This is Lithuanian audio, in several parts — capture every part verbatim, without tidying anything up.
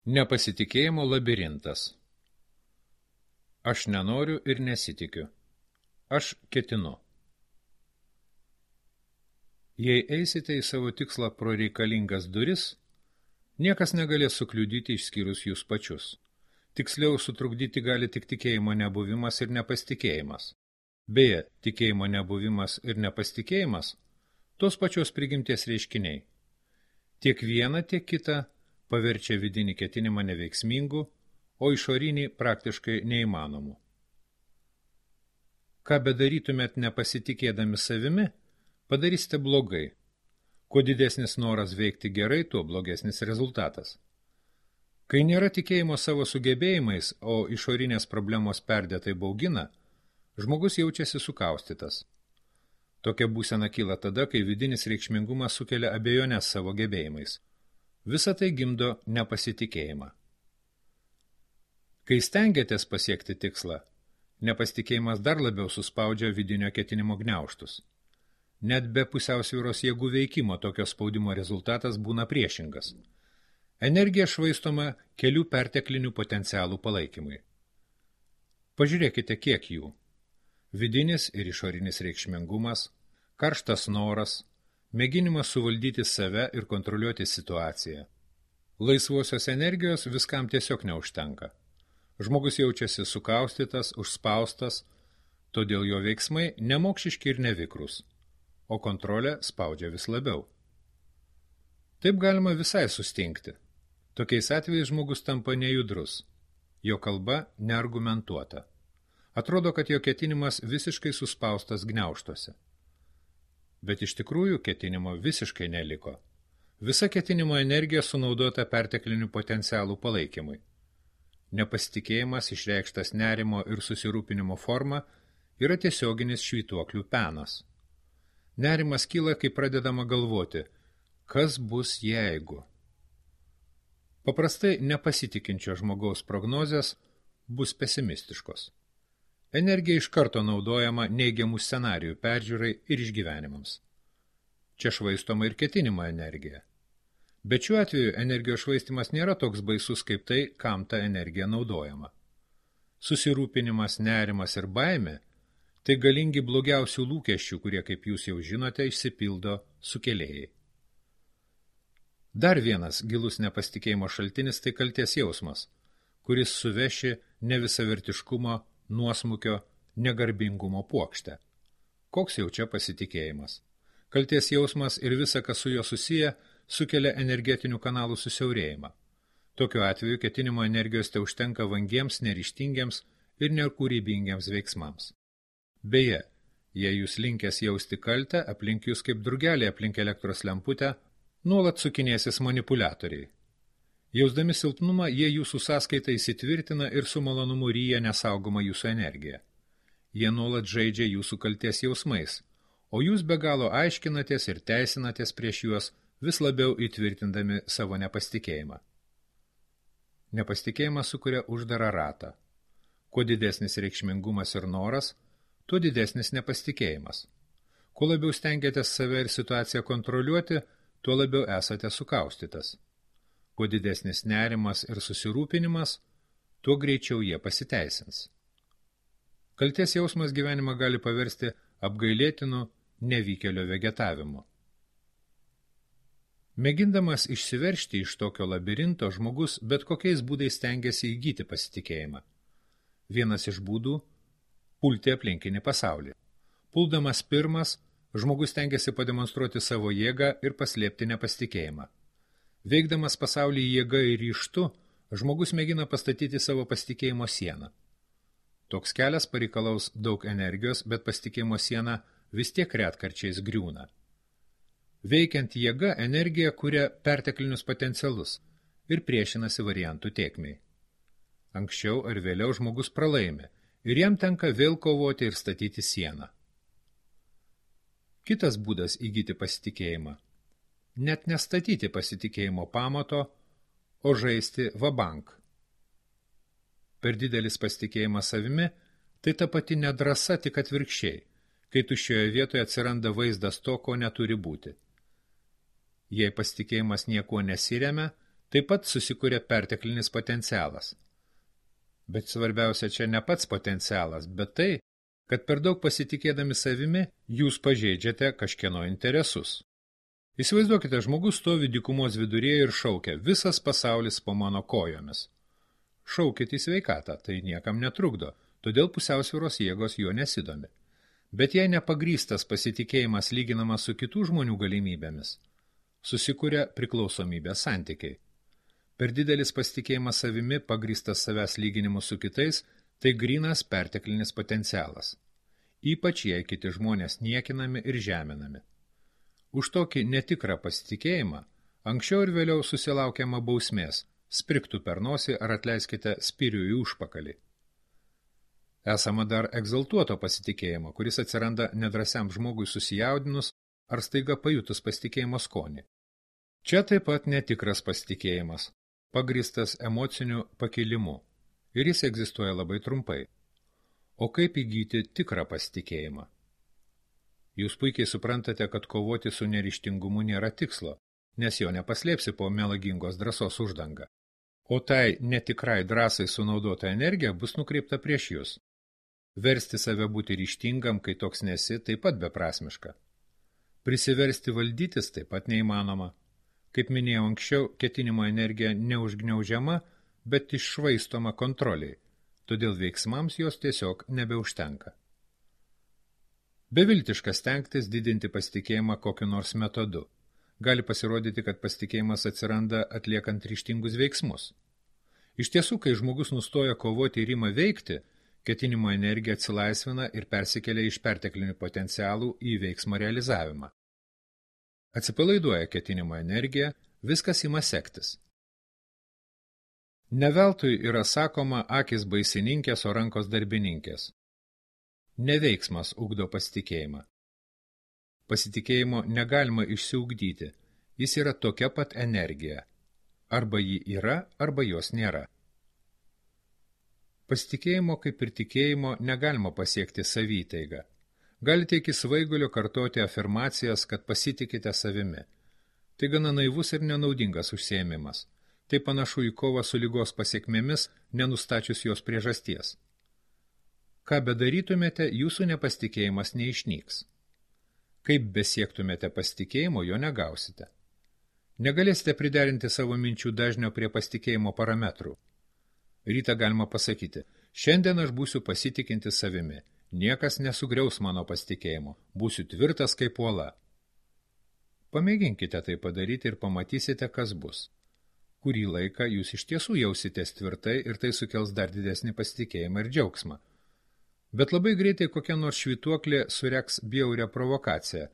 Nepasitikėjimo labirintas. Aš nenoriu ir nesitikiu. Aš ketinu. Jei eisite į savo tikslą pro reikalingas duris, niekas negalės sukliudyti išskyrus jūs pačius. Tiksliau sutrukdyti gali tik tikėjimo nebuvimas ir nepasitikėjimas. Beje, tikėjimo nebuvimas ir nepasitikėjimas – tos pačios prigimties reiškiniai. Tiek viena, tiek kita paverčia vidinį ketinimą neveiksmingu, o išorinį praktiškai neįmanomu. Ką bedarytumėt nepasitikėdami savimi, padarysite blogai. Kuo didesnis noras veikti gerai, tuo blogesnis rezultatas. Kai nėra tikėjimo savo sugebėjimais, o išorinės problemos perdėtai baugina, žmogus jaučiasi sukaustytas. Tokia būsena kyla tada, kai vidinis reikšmingumas sukelia abejonės savo gebėjimais. Visa tai gimdo nepasitikėjimą. Kai stengiatės pasiekti tikslą, nepasitikėjimas dar labiau suspaudžia vidinio ketinimo gniaužtus. Net be pusiausvyros jėgų veikimo tokio spaudimo rezultatas būna priešingas. Energija švaistoma kelių perteklinių potencialų palaikymui. Pažiūrėkite, kiek jų. Vidinis ir išorinis reikšmingumas, karštas noras, mėginimas suvaldyti save ir kontroliuoti situaciją. Laisvosios energijos viskam tiesiog neužtenka. Žmogus jaučiasi sukaustytas, užspaustas, todėl jo veiksmai nemokšiški ir nevikrus, o kontrolė spaudžia vis labiau. Taip galima visai sustingti. Tokiais atvejais žmogus tampa nejudrus, jo kalba neargumentuota. Atrodo, kad jo ketinimas visiškai suspaustas gniaužtuose. Bet iš tikrųjų ketinimo visiškai neliko. Visa ketinimo energija sunaudota perteklinių potencialų palaikymui. Nepasitikėjimas išreikštas nerimo ir susirūpinimo forma yra tiesioginis švytuoklių penas. Nerimas kyla, kai pradedama galvoti, kas bus jeigu. Paprastai nepasitikinčio žmogaus prognozės bus pesimistiškos. Energija iš karto naudojama neigiamų scenarijų peržiūrai ir išgyvenimams. Čia švaistoma ir ketinimo energija. Bet šiuo atveju energijos švaistimas nėra toks baisus kaip tai, kam ta energija naudojama. Susirūpinimas, nerimas ir baimė – tai galingi blogiausių lūkesčių, kurie, kaip jūs jau žinote, išsipildo sukėlėjai. Dar vienas gilus nepasitikėjimo šaltinis – tai kaltės jausmas, kuris suveši nevisavertiškumo, nuosmukio, negarbingumo puokštę. Koks jau čia pasitikėjimas? Kaltės jausmas ir visa, kas su juo susiję, sukelia energetinių kanalų susiaurėjimą. Tokiu atveju ketinimo energijos te užtenka vangiems, neryžtingiems ir nekūrybingiems veiksmams. Beje, jei jūs linkęs jausti kaltę, aplink jūs kaip drugeliai aplink elektros lemputę, nuolat sukinėsis manipuliatoriai. Jausdami silpnumą, jie jūsų sąskaitą įsitvirtina ir su malonumu ryja nesaugoma jūsų energija. Jie nuolat žaidžia jūsų kaltės jausmais, o jūs be galo aiškinatės ir teisinatės prieš juos, vis labiau įtvirtindami savo nepasitikėjimą. Nepasitikėjimas sukuria uždarą ratą. Kuo didesnis reikšmingumas ir noras, tuo didesnis nepasitikėjimas. Kuo labiau stengiatės save ir situaciją kontroliuoti, tuo labiau esate sukaustytas. Kuo didesnis nerimas ir susirūpinimas, tuo greičiau jie pasiteisins. Kaltės jausmas gyvenimą gali paversti apgailėtinu nevykėlio vegetavimu. Mėgindamas išsiveržti iš tokio labirinto, žmogus bet kokiais būdais stengiasi įgyti pasitikėjimą. Vienas iš būdų – pulti aplinkinį pasaulį. Puldamas pirmas, žmogus stengiasi pademonstruoti savo jėgą ir paslėpti nepasitikėjimą. Veikdamas pasaulį jėga ir ryžtu, žmogus mėgina pastatyti savo pasitikėjimo sieną. Toks kelias pareikalaus daug energijos, bet pasitikėjimo siena vis tiek retkarčiais griūna. Veikiant jėga, energija kuria perteklinius potencialus ir priešinasi variantų tėkmei. Anksčiau ar vėliau žmogus pralaimi ir jam tenka vėl kovoti ir statyti sieną. Kitas būdas įgyti pasitikėjimą – net nestatyti pasitikėjimo pamato, o žaisti vabank. Per didelis pasitikėjimas savimi – tai ta pati nedrąsa, tik atvirkščiai, kai tuščioje vietoje atsiranda vaizdas to, ko neturi būti. Jei pasitikėjimas niekuo nesiremia, Taip pat susikuria perteklinis potencialas. Bet svarbiausia čia ne pats potencialas, bet tai, kad per daug pasitikėdami savimi, jūs pažeidžiate kažkieno interesus. Įsivaizduokite, žmogus stovi dykumos viduryje ir šaukia, visas pasaulis po mano kojomis. Šaukit į sveikatą, tai niekam netrukdo, todėl pusiausvyros jėgos jo nesidomi. Bet jei nepagrįstas pasitikėjimas lyginamas su kitų žmonių galimybėmis, susikuria priklausomybės santykiai. Per didelis pasitikėjimas savimi, pagrįstas savęs lyginimu su kitais, tai grynas perteklinis potencialas. Ypač jei kiti žmonės niekinami ir žeminami. Už tokį netikrą pasitikėjimą anksčiau ir vėliau susilaukiama bausmės, spriktų per nosį ar atleiskite spirių į užpakalį. Esama dar egzaltuoto pasitikėjimo, kuris atsiranda nedrasiam žmogui susijaudinus ar staiga pajutus pasitikėjimo skonį. Čia taip pat netikras pasitikėjimas, pagrįstas emociniu pakilimu, ir jis egzistuoja labai trumpai. O kaip įgyti tikrą pasitikėjimą? Jūs puikiai suprantate, kad kovoti su neryžtingumu nėra tikslo, nes jo nepaslėpsi po melagingos drąsos uždanga. O tai netikrai drąsai sunaudota energija bus nukreipta prieš jūs. Versti save būti ryžtingam, kai toks nesi, taip pat beprasmiška. Prisiversti valdytis taip pat neįmanoma. Kaip minėjau anksčiau, ketinimo energija neužgniaužiama, bet iššvaistoma kontroliai, todėl veiksmams jos tiesiog nebeužtenka. Beviltiška stengtis didinti pasitikėjimą kokiu nors metodu. Gali pasirodyti, kad pasitikėjimas atsiranda atliekant ryžtingus veiksmus. Iš tiesų, kai žmogus nustoja kovoti ir ima veikti, ketinimo energija atsilaisvina ir persikelia iš perteklinių potencialų į veiksmo realizavimą. Atsipalaiduoja ketinimo energija, viskas ima sektis. Neveltui yra sakoma akis baisininkės, o rankos darbininkės. Neveiksmas ugdo pasitikėjimą. Pasitikėjimo negalima išsiugdyti, jis yra tokia pat energija. Arba ji yra, arba jos nėra. Pasitikėjimo kaip ir tikėjimo negalima pasiekti savytaiga. Galite iki svaigulio kartoti afirmacijas, kad pasitikite savimi. Tai gana naivus ir nenaudingas užsiėmimas. Tai panašu į kovą su ligos pasiekmėmis, nenustačius jos priežasties. Ką bedarytumėte, jūsų nepasitikėjimas neišnyks. Kaip besiektumėte pasitikėjimo, jo negausite. Negalėsite priderinti savo minčių dažnio prie pasitikėjimo parametrų. Rytą galima pasakyti, šiandien aš būsiu pasitikinti savimi, niekas nesugriaus mano pasitikėjimo, būsiu tvirtas kaip uola. Pamėginkite tai padaryti ir pamatysite, kas bus. Kurį laiką jūs iš tiesų jausitės tvirtai ir tai sukels dar didesnį pasitikėjimą ir džiaugsmą. Bet labai greitai kokia nors švytuoklė sureks bjaurią provokaciją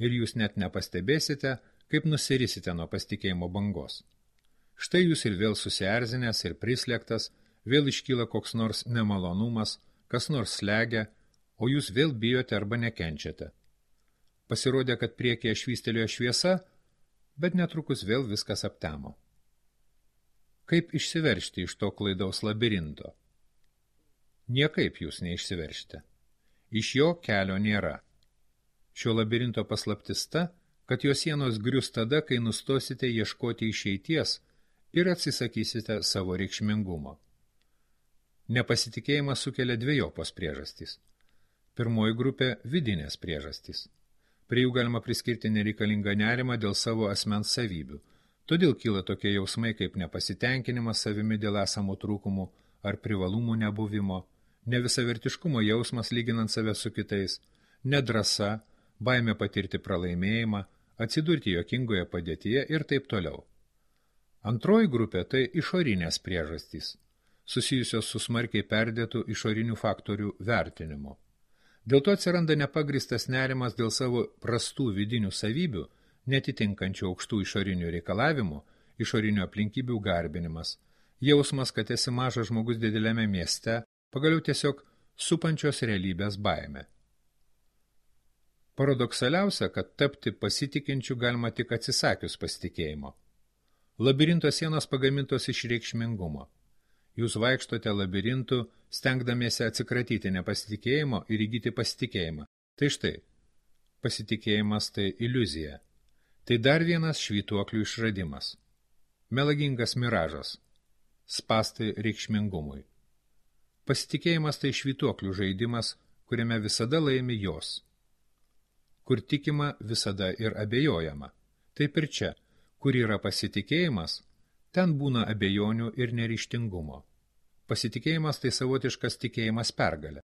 ir jūs net nepastebėsite, kaip nusirisite nuo pasitikėjimo bangos. Štai jūs ir vėl susierzinęs ir prislėgtas, vėl iškyla koks nors nemalonumas, kas nors slegia, o jūs vėl bijote arba nekenčiate. Pasirodė, kad priekyje švystelėjo šviesa, bet netrukus vėl viskas aptemo. Kaip išsiveržti iš to klaidaus labirinto? Niekaip jūs neišsiveršite. Iš jo kelio nėra. Šio labirinto paslaptis ta, kad jo sienos grius tada, kai nustosite ieškoti išeities ir atsisakysite savo reikšmingumo. Nepasitikėjimas sukelia dvejopos priežastys. Pirmoji grupė – vidinės priežastys. Prie jų galima priskirti nereikalingą nerimą dėl savo asmens savybių. Todėl kyla tokie jausmai kaip nepasitenkinimas savimi dėl esamų trūkumų ar privalumų nebuvimo, nevisavertiškumo jausmas lyginant save su kitais, nedrąsa, baimė patirti pralaimėjimą, atsidurti juokingoje padėtyje ir taip toliau. Antroji grupė – tai išorinės priežastys, susijusios su smarkiai perdėtų išorinių faktorių vertinimu. Dėl to atsiranda nepagristas nerimas dėl savo prastų vidinių savybių, netitinkančių aukštų išorinių reikalavimų, išorinių aplinkybių garbinimas, jausmas, kad esi mažas žmogus dideliame mieste, pagaliau tiesiog supančios realybės baimė. Paradoksaliausia, kad tapti pasitikinčiu galima tik atsisakius pasitikėjimo. Labirinto sienos pagamintos iš reikšmingumo. Jūs vaikštote labirintu, stengdamiesi atsikratyti nepasitikėjimo ir įgyti pasitikėjimą. Tai štai, pasitikėjimas tai iliuzija. Tai dar vienas švytuoklių išradimas. Melagingas miražas. Spąstai reikšmingumui. Pasitikėjimas tai švytuoklių žaidimas, kuriame visada laimi jos. Kur tikima, visada ir abejojama. Taip ir čia, kur yra pasitikėjimas, ten būna abejonių ir neryžtingumo. Pasitikėjimas tai savotiškas tikėjimas pergalę.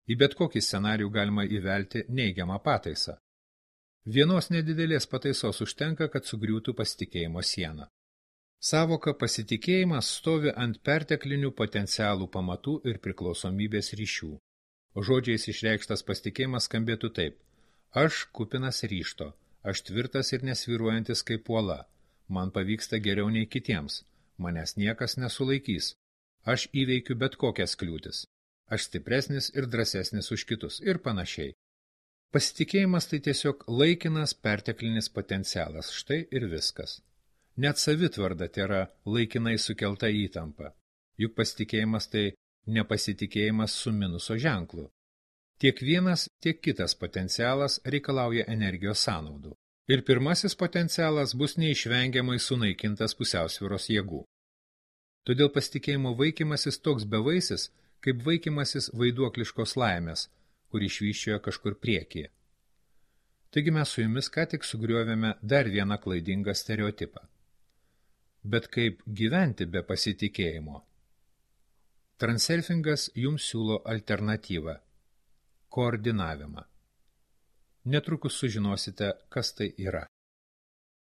Į bet kokį scenarijų galima įvelti neigiamą pataisą. Vienos nedidelės pataisos užtenka, kad sugriūtų pasitikėjimo siena. Savoka pasitikėjimas stovi ant perteklinių potencialų pamatų ir priklausomybės ryšių. Žodžiais išreikštas pasitikėjimas skambėtų taip: aš kupinas ryžto, aš tvirtas ir nesvyruojantis kaip uola, man pavyksta geriau nei kitiems, manęs niekas nesulaikys, aš įveikiu bet kokias kliūtis, aš stipresnis ir drąsesnis už kitus ir panašiai. Pasitikėjimas tai tiesiog laikinas perteklinis potencialas, štai ir viskas. Net savitvarda tėra laikinai sukelta įtampa, juk pasitikėjimas tai nepasitikėjimas su minuso ženklu. Tiek vienas, tiek kitas potencialas reikalauja energijos sąnaudų. Ir pirmasis potencialas bus neišvengiamai sunaikintas pusiausvyros jėgų. Todėl pasitikėjimo vaikymasis toks bevaisis, kaip vaikymasis vaiduokliškos laimės, kur išvyščiojo kažkur priekyje. Taigi mes su jumis ką tik sugriovėme dar vieną klaidingą stereotipą. Bet kaip gyventi be pasitikėjimo? Transurfingas jums siūlo alternatyvą – koordinavimą. Netrukus sužinosite, kas tai yra.